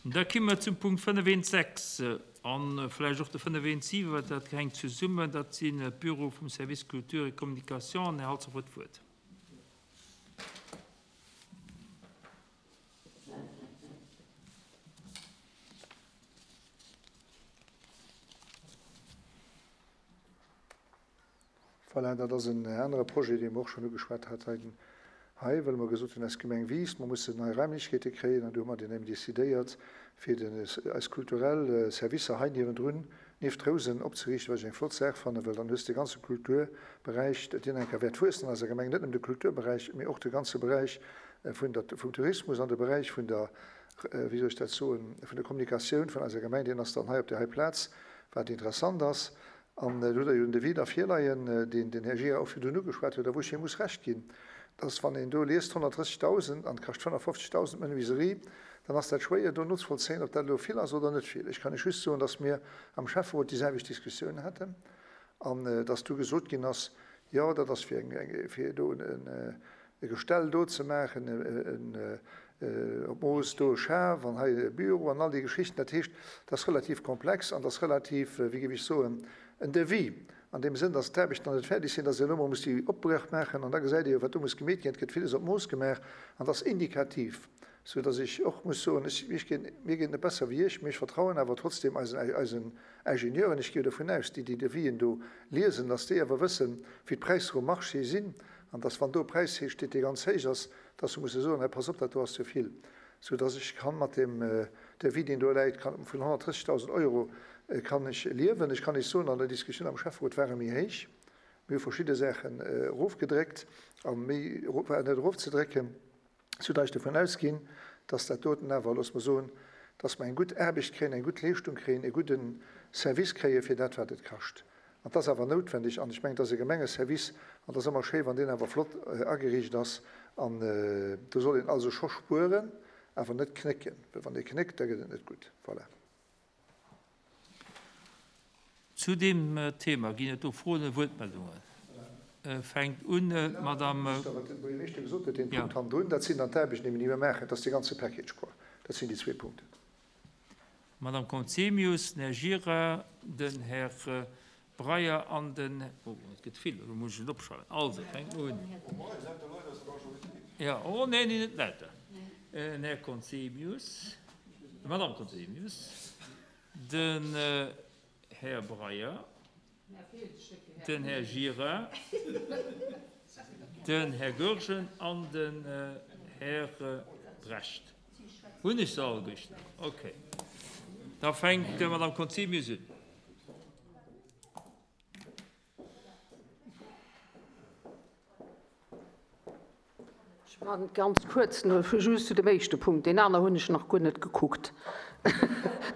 Da komme mer zum Punkt 5.1.6 a vläicht och de 5.1.7, well dat hänkt zesummen. Dat sinn d'Büroe vum Service Culture et Communication. An Här Halsdorf huet d'Wuert. Voilà, dat ass en anere Projet, dee mer och schonn ugeschwat hat hei, well mer gesot hunn, eis Gemeng wiisst, mer mussen nei Raimlechkeete kréien. An du hu mer dann eben decidéiert, fir den, eis kulturell Servicer hei niewendrun, nieft Rousen, opzeriichten, wat ech eng flott Saach fannen, well dann hues de ganze Kulturberäich, deen eng Kéier wäert wuessen an eiser Gemeng, net nëmmen de Kulturberäich, mee och de ganze Beräich vun der, vum Tourismus an de Beräich vun der, wéi soll ech dat soen, vun der Kommunikatioun vun eiser Gemeng, deen ass dann hei op där hei Plaz, wat interessant ass. An do hutt Der jo den Devis da virleien, deen den Här Gira och virdrun ugeschwat huet a wou ech him muss Recht ginn, dass, wann een do liest 130.000 an et kascht 55.000 d'Menuiserie, dann ass dat schwéier do nozevollzéien, ob dat elo vill ass oder net vill. Ech kann Iech just soen, dass mir am Schäfferot déi selwecht Diskussioun haten an dass du gesot ginn ass, jo, dat ass fir eng, fir do e Gestell do ze maachen, op Mooss do e Schaf an hei e Büro an all déi Geschichten. Dat heescht, dat ass relativ komplex an dat ass relativ, wéi géif ech soen, en Devis an deem Sënn, dass d'Aarbechten nach net fäerdeg sinn, dass een elo mol muss déi Opbréch maachen an da gesäit ee jo, wat do muss gemeet ginn. Et gëtt villes op Mooss gemaach an dat ass indikativ, sou dass ech och muss soen, ech, ech ginn, mir geet net besser wéi Iech, mee ech vertrauen awer trotzdem eisen, eisen Ingenieuren, ech gi jo dovun aus, déi déi Devisen do liesen, dass déi awer wëssen, wéi d'Präisser um Marché sinn an dass, wann do e Präis steet, dee ganz héich ass, dass se musse soen, hei pass op, dat do ass ze vill, sou dass ech kann mat deem Devis, deen do läit, kann vun 130.000 Euro kann ech liewen. Ech kann Iech soen, an der Diskussioun am Schäfferot war e méi héich. Mir hu verschidde Saachen erofgedréckt a méi war net erofzedrécken, sou dass ech dovun ausginn, dass dat doten awer, loosse mer soen, dass mer eng gutt Aarbecht kréien, eng gutt Leeschtung kréien, e gudde Service kréie fir dat, wat et kascht. An 't ass awer noutwendeg, an ech mengen, 't ass e Gemengeservice, an 't ass ëmmer schéi, wann deen awer flott ageriicht ass. An do soll een also scho spueren, awer net knécken, well wann ee knéckt, da gëtt et net gutt. Voilà. Zu deem Thema ginn et do Froen a Wuertmeldungen. Fänkt un d'Madame. Wat de Buergermeeschter gesot huet, deen Punkt hannendrun, dat sinn dann d'Aarbechten, déi mir maachen. Dat ass dee ganze Package, quoi. Dat sinn déi zwee Punkten. D'Madame Conzemius, den Här Gira, den Här Breyer an den, oh, et gëtt vill, elo muss ech et opschreiwen. Also, fänke mer un. Jo, oh nee, nee, net lauter. Den Här Conzemius, d'Madame Conzemius, den Här Breyer, den Här Gira, den Här Goergen an den Här Brecht. Hunn ech se alleguerten? Okay. Da fänkt d'Madame Conzemius un. Ech maachen et ganz kuerz, just zu dem éischte Punkt. Deen aner hunn ech nach guer net gekuckt.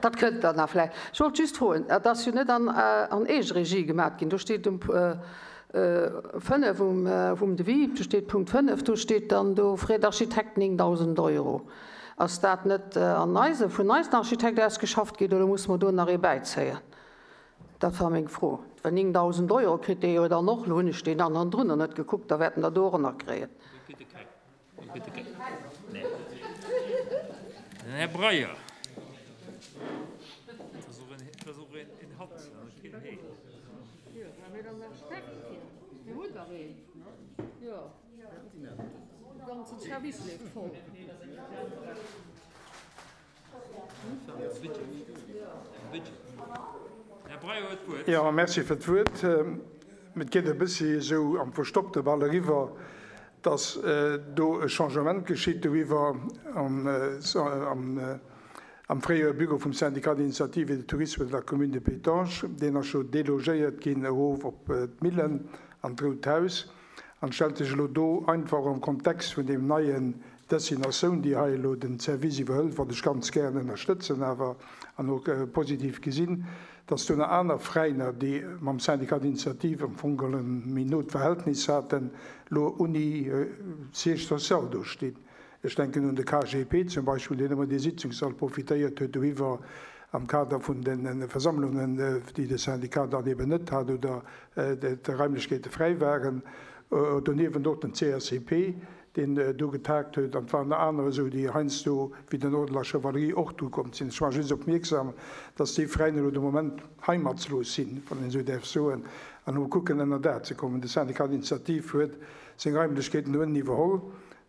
Dat kënnt dann nach vläicht. Ech wollt just froen, et ass jo net an Eegeregie gemaat ginn. Do steet um 5 um Devis, do steet Punkt 5, do steet dann do Frais d'architecte 9.000 Euro. Ass dat net an eise, vun eisen Architekt ausgeschafft ginn oder musse mer do nach ee bäizéien? Dat war meng Fro. Well 9.000 Euro kritt dee jo dann och. Elo hunn ech deen aneren drunner net gekuckt, da wäert en der do och nach kréien. Den Här Breyer. Jo, merci fir d'Wuert. Et geet e bëssi esou am Verstoppte bal eriwwer, dass do e Changement geschitt doriwwer am fréiere Büro vum Syndicat d'initiative et de tourisme de la commune de Pétange. Deen ass jo delogéiert ginn erof op d'Millen an d'Rout Haus. An et stellt sech elo do einfach am Kontext vun deem neien Destinatioun, déi hei elo den Service iwwerhëlt, wat ech ganz gären ënnerstëtzen awer an och positiv gesinn, dass do nach aner Veräiner, déi mam Syndicat d'initiative am Fong geholl e méi not Verhältnis haten, elo ouni Siège social do stinn. Ech denken un de KGP zum Beispill, deen ëmmer dee Sitzungssall profitéiert huet doriwwer am Kader vun de Versammlungen, déi de Syndicat dann eben net hat oder d'Raimlechkeete fräi waren. Doniewent och den CSCP. deen do getaagt huet, an et waren der aner esou, déi heiansdo, wéi den Ordre de la Chevalerie, och do komm sinn. Ech maache just opmierksam, dass déi Veräiner elo de Moment heimatslos sinn, wann een esou däerf soen, an elo kucken, ënner Daach ze kommen. De Syndicat d'initiative huet seng Raimlechkeeten do ënnen iwwerholl,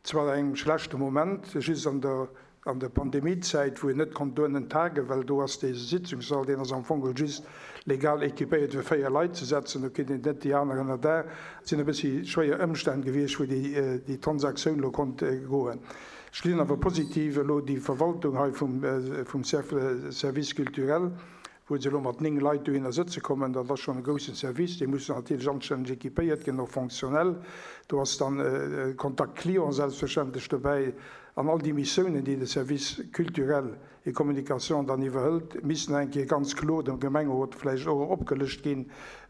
zwar an engem schlechte Moment, just an der An der Pandemiezäit, wou een net konnt dohennen tagen, well do ass dee Sitzungssall, deen ass am Fong geholl just legal équipéiert fir 4 Leit ze setzen, do kritt een net déi aner ënner Daach. Et sinn e bëssi schwéier Ëmstänn gewiescht, wou déi Transaktioun elo konnt goen. Ech gesinn awer positiv elo déi Verwaltung hei vum Service culturel, wou se elo mat 9 Leit dohinner sëtze kommen. Dat ass schonn e groussen Service. Dee muss natierlech anstänneg équipéiert ginn, och fonctionnel. Do ass dann Contact client selbstverständlech dobäi. An all déi Missiounen, déi de Service culturel et communication dann iwwerhëlt, missten eng Kéier ganz kloer dem Gemengerot vläicht och opgelëscht ginn,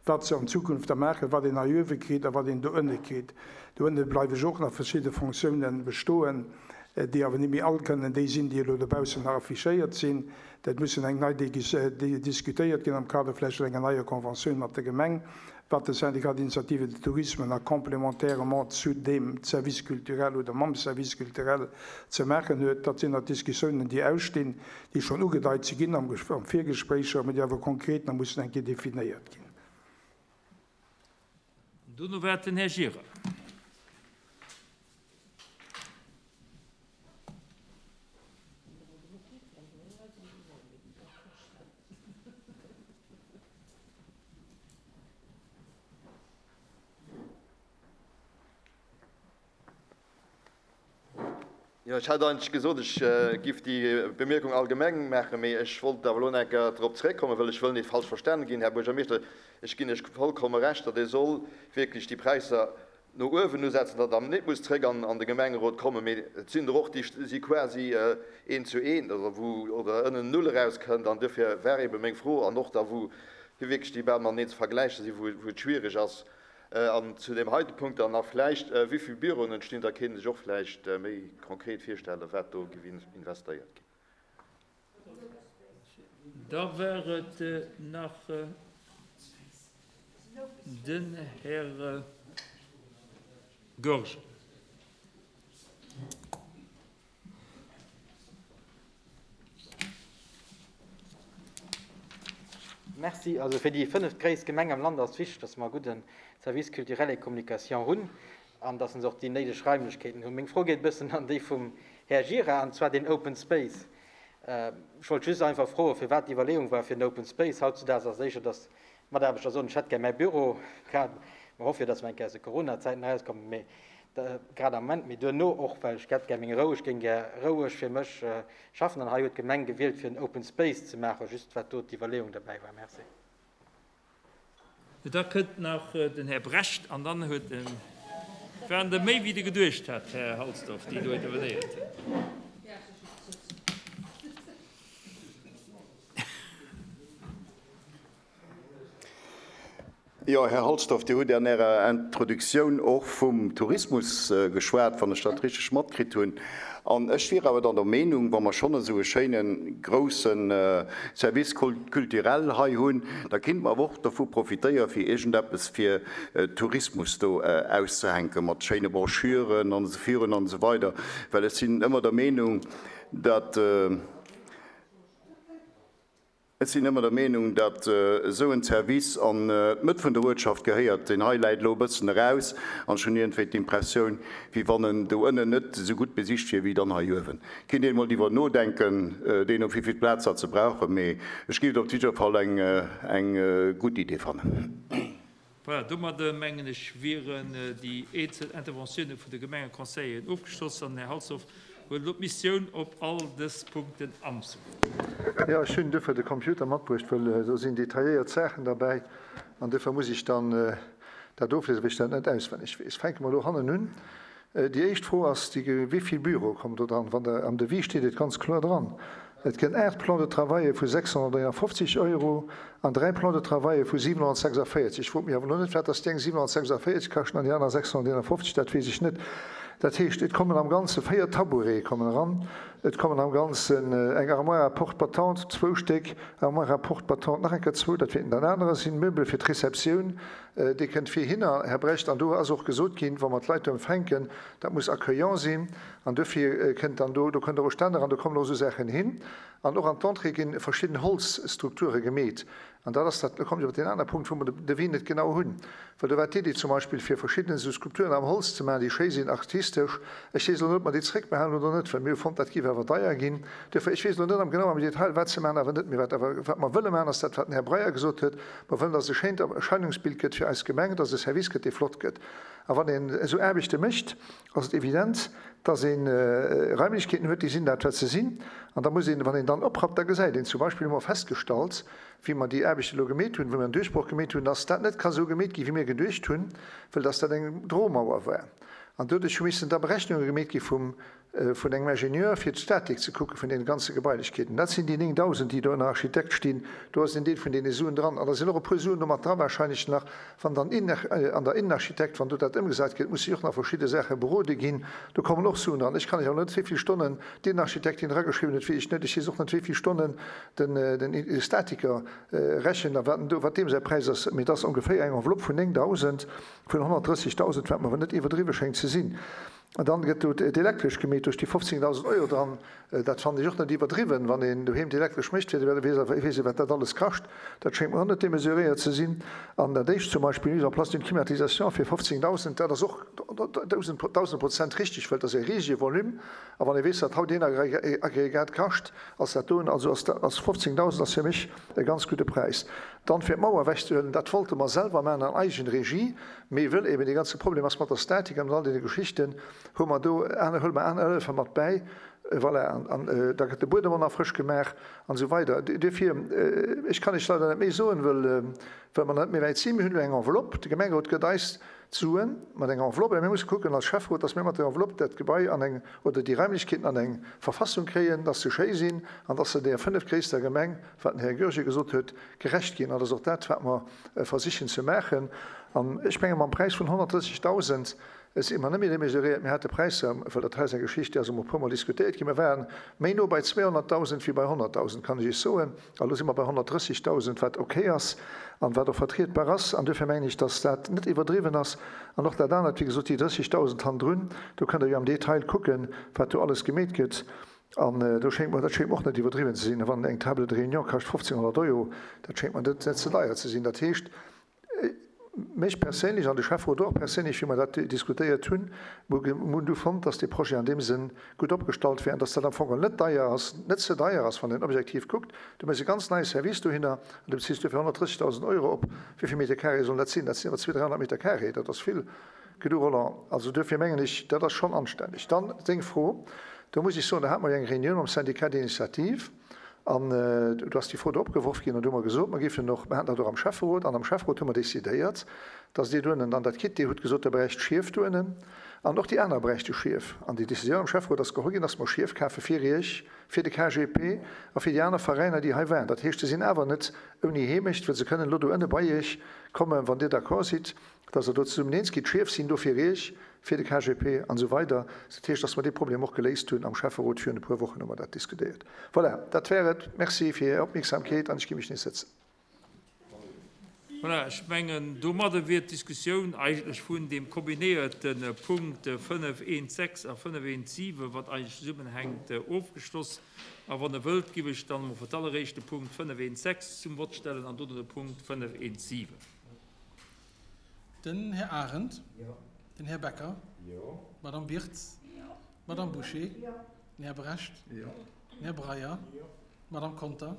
wat se an Zukunft da maachen, wat een hei uewe kritt a wat een do ënne kritt. Do ënne bleiwe jo och nach verschidde Fonctiounen bestoen, déi awer net méi all kënnen déi sinn, déi elo dobaussen nach affichéiert sinn. Dat mussen eng nei diskutéiert ginn am Kader vläicht vun enger neier Conventioun mat der Gemeng, wat de Syndicat d'initiative de tourisme nach complémentairement zu deem Service culturel oder mam Service culturel ze maachen huet. Dat sinn nach Diskussiounen, déi ausstinn, déi schonn ugedeit si ginn am Virgespréicher, mä déi awer konkret nach mussen eng Kéier definéiert ginn. Dono war et den Här Gira. Jo, ech hat eigentlech gesot, ech giff déi Bemierkung allgemeng maachen, mee ech wollt awer elo nach eng Kéier drop zréckkommen, well ech wëll net falsch verstanen ginn, Här Buergermeeschter. Ech ginn Iech vollkomme Recht, datt ee soll wierklech déi Präisser no uewen usetzen, datt der net muss zréck an de Gemengerot kommen, mee et sinn der och, déi si quasi eent zu eent oder wou oder ënnen Null erauskënnt. An duerfir war eebe meng Fro, an och da wou wierklech déi bal mateneen ze vergläiche sinn, wou et schwierig ass, An zu deem heite Punkt dann nach vläicht, Wéi vill Büroen entstinn? Da kéint een sech och vläicht méi konkret virstellen, wat do géif investéiert ginn. Da war et nach den Här Goergen. Merci. Also fir déi fënneftgréisst Gemeng am Land ass wichteg, dass mer e gudde Service culturel et communication hunn an dass se och déi néideg Raimlechkeeten hunn. Meng Fro geet e bëssen an déi vum Här Gira, an zwar deen Open Space. Ech wollt just einfach froen, firwat d'Iwwerleeung war fir den Open Space. Hautzudaags ass et éischer, dass d'Mataarbechter soen, ech hätt gär mäi Büro. Grad, mer hoffe jo, dass mer eng Kéier aus de Coronazäiten erauskommen, mee grad am Moment, mee duerno och, well ech hätt gär meng Rou, ech géing gär roueg fir mech schaffen. An hei huet d'Gemeng gewielt, fir en Open Space ze maachen. Just wat do d'Iwwerleeung derbäi war. Merci. Da kënnt nach den Här Brecht an dann huet en, et waren der méi wéi Der geduecht hat, Här Halsdorf, déi do intervenéiert hunn. Jo, Här Halsdorf, Dir hutt an Ärer Introduktioun och vum Tourismus geschwat, wann ech dat richteg matkritt hunn. An ech wier awer dann der Meenung, wa mer schonn esou e schéine grousse Service culturel hei hunn, da kéinte mer awer och dovu profitéieren, fir iergendeppes fir Tourismus do auszehänken, mat schéine Broschüren an esou virun an esou weider, well ech sinn ëmmer der Meenung, datt, Ech sinn ëmmer der Meenung, datt esou en Service an d'Mëtt vun der Uertschaft gehéiert. Deen hei läit elo e bëssen eraus an ech hunn iergendwéi d'Impressioun, wéi wann en do ënnen net esou gutt besicht wier wéi dann hei uewen. Kinnt een emol driwwer nodenken, deemno wéi vill Plaz datt se brauchen, mee ech géif et op jidder Fall eng gutt Idee fannen. Voilà, domadder mengen ech wieren déi eenzel Interventiounen vun de Gemengeconseilleren ofgeschloss an den Här Halsdorf huet elo d'Missioun op all dës Punkten anzegoen. Jo, ech hunn duerfir de Computer matbruecht, well do sinn detailléiert Saachen derbäi an duerfir muss ech dann dat ofliesen, well ech dat net auswenneg weess. Fänke mer elo hannen un. Déi éischt Fro ass déi, Wéi vill Büroe kommen do dran? Wann Der, am Devis steet et ganz kloer dran, et gënn 8 Plans de travaille vu 651 Euro an 3 Plans de travaille vu 746. Ech frot mech awer elo net, wat dass déi eng 746 kaschten an déi aner 651, dat weess ech net. Dat heescht, et kommen am Ganze 4 Tabourete kommen eran. Et kommen am Ganzen eng Armoire à porte battante, zwou Stéck, Armoire à porte battante, nach eng Kéier zwou, dat wäerten dann anerer sinn, Meubele fir d'Receptioun, dee kënnt virhinner, Här Brecht. An do ass och gesot ginn, wa mer d'Leit do empfänken, dat muss accueillant sinn. An duerfir kënnt dann do, do kënnt och e Stänner an do kommen och esou Saachen hin. An och an d'Entrée gi verschidden Holzstrukture gemeet. An dat ass dat, do kommen ech op deen anere Punkt, wou mer de Devis net genau hunn, well do war d'Iddi zum Beispill, fir verschidden esou Skulpturen am Holz ze maachen, déi schéi sinn, artistesch. Ech weess elo net, ob mer déi zréckbehalen oder net, well mir hu fonnt, dat géif awer deier ginn. Duerfir, ech weess elo net am genau am Detail, wat se maachen, awer net. Mee wat awer, wat mer wëlle maachen, ass dat, wat den Här Breyer gesot huet, Mer wëllen, dass et e schéint Erscheinungsbild gëtt fir eis Gemeng, dass et e Service gëtt, dee flott gëtt. A wann een esou Aarbechte mécht, ass et evident, dass ee Raimlechkeeten huet, déi sinn dat, wat se sinn. An da muss een, wann een dann oprappt, da gesäit een, zum Beispill hu mer festgestallt, wéi mer déi Aarbechte elo gemeet hunn, wou mer en Duerchbroch gemeet hunn, dass dat net ka sou gemeet ginn, wéi mir geduecht hunn, well dass dat eng Dromauer war. An doduerch hu missen da Berechnunge gemeet gi vum, vun engem Ingenieur, fir d'Statik ze kucke vun deene ganze Gebailechkeeten. Dat sinn déi 9.000, déi do ënner Architekt stinn. Do ass en Deel vun deene Suen dran. An da sinn och e puer Suen do mat dra wahrscheinlech nach, wann dann an der Innenarchitekt, wann do dat ëmgesat gëtt, musse jo och nach verschidde Saache berode ginn. Do kommen och Suen dran. Ech kann lech awer net, wéi vill Stonnen d'Innenarchitektin drageschriwwen huet, weess ech net. Ech weess och net, wéi vill Stonnen den Statiker rechent a wat en do, wat deem säi Präis ass, mee et ass ongeféier eng Enveloppe vun 9.000, vun 130.000, wat mer awer net iwwerdriwwe schéngt ze sinn. An dann gëtt do d'Elektresch gemeet, do sti 15.000 Euro dran. Dat fannen ech och net iwwerdriwwen, wann een doheem d'Elektresch mécht, fir de weess awer, weess ee wat dat alles kascht. Dat schéngt mer och net demesuréiert ze sinn. An dat éischt zum Beispill, mise en place d'une climatisation fir 15.000, dat ass och 1.000 Prozent richtig, well dat ass e risege Volume. A wann ee weess, wat haut een Aggregat kascht, ass dat doen, also ass dat, ass 15.000 ass fir mech e ganz gudde Präis. Dann fir d'Mauer ewechzehuelen, dat wollte mer selwer maachen an Eigenregie, mee wëll eben dee ganze Problem ass mat der Statik an mat all deene Geschichten, hu mer do aner, huele mer aner Hëllefe mat bäi, voilà, an, an da gëtt de Buedem och nach frësch gemaach an esou weider. Duerfir, ech kann Iech leider net méi soen, wëll, wëll mer net méi wäit sinn. Mir hunn elo eng Enveloppe, de Gemengerot gëtt eis d'Suen mat enger Enveloppe, a mir musse kucken als Schäfferot, dass mir mat der Enveloppe dat Gebai an eng, oder déi Raimlechkeeten an eng Verfassung kréien, dass se schéi sinn an dass se där fënnefgréisster Gemeng, wat den Här Goergen gesot huet, gerecht ginn. An dat ass och dat, wat mer versichen ze maachen. An ech menge mam Präis vun 130.000 si mer net méi démesuréiert. Mir hate Präisser, well dat hei ass eng Geschicht, déi ass emol e puermol diskutéiert ginn, mir ware méi no bei 200.000 wéi bei 100.000, kann ech Iech soen. A lo si mer bei 130.000, wat okay ass an wat och vertrietbar ass. An duerfir mengen ech, dass dat net iwwerdriwwen ass. An och dat anert, wéi gesot, déi 30.000 hannendrun, do kënnt Der jo am Detail kucken, wat do alles gemeet gëtt. An do schéngt mer, dat schéngt mer och net iwwerdriwwen ze sinn. Wann eng Table de réunion kascht 1.500 Euro, dat schéngt mer net ze deier ze sinn. Dat heescht, Mech perséinlech, an de Schäfferot och perséinlech, wéi mer dat diskutéiert hunn, mir hunn du fonnt, dass dee Projet an deem Sënn gutt opgestallt wär an dass dat am Fong geholl net deier ass, net ze deier ass, wann een objektiv kuckt. Du méchs e ganz neie Service dohinner an du beziss duerfir 130.000 Euro op. Wéi vill Meter carré sollen dat sinn? Dat sinn awer 200, 300 Meter carré, dat ass vill gedu, Roland. Also duerfir mengen ech, dat ass schonn anstänneg. Dann deng Fro, do muss ech soen, do hate mer jo eng Réunioun mam Syndicat d'initiative. An do ass déi Fro do opgeworf ginn an do hu mer gesot, mer géifen och, mer haten dat och am Schäfferot, an am Schäfferot hu mer decidéiert, dass Dir doënnen dann dat kritt. Dir hutt gesot, Der bräicht Schief doënnen an och déi aner bräichte Schief. An déi Décisioun am Schäfferot ass geholl ginn, dass mer Schief kafe fir Iech, fir de KGP a fir déi aner Veräiner, déi hei waren. Dat heescht, se sinn awer net ouni Heemecht, well se kënnen elo doënne bei Iech kommen, wann Dir d'accord sidd, dass Der do zesummen eens gitt. D'Schief sinn do fir Iech, fir de KGP an esou weider. Dat heescht, dass mer dee Problem och geléist hunn am Schäfferot. Virun e puer Wochen hu mer dat diskutéiert. Voilà, dat wär et. Merci fir Är Opmierksamkeet an ech gi mech nees sëtzen. Voilà, ech mengen, domadde wier d'Diskussioun eigentlech vun deem kombinéierte Punkt 5.1.6 a 5.1.7, wat eigentlech zesummenhänkt, ofgeschloss. A wann Der wëllt, giff ech dann emol fir d'alleréischt de Punkt 5.1.6 zum Vott stellen an dono de Punkt 5.1.7. Den Här Arendt. Den Här Becker. D'Madame Wirtz. D'Madame Bouché. Den Här Brecht. Den Här Breyer. D'Madame Conter.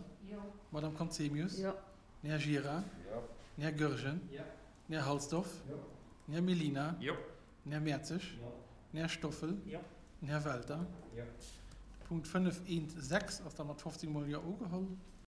D'Madame Conzemius. Den Här Gira. Den Här Goergen. Den Här Halsdorf. Den Här Mellina. Den Här Mertzig. Den Här Stoffel. Den Här Welter. De Punkt 5.1.6 ass da mat 15 mol Jo ugeholl.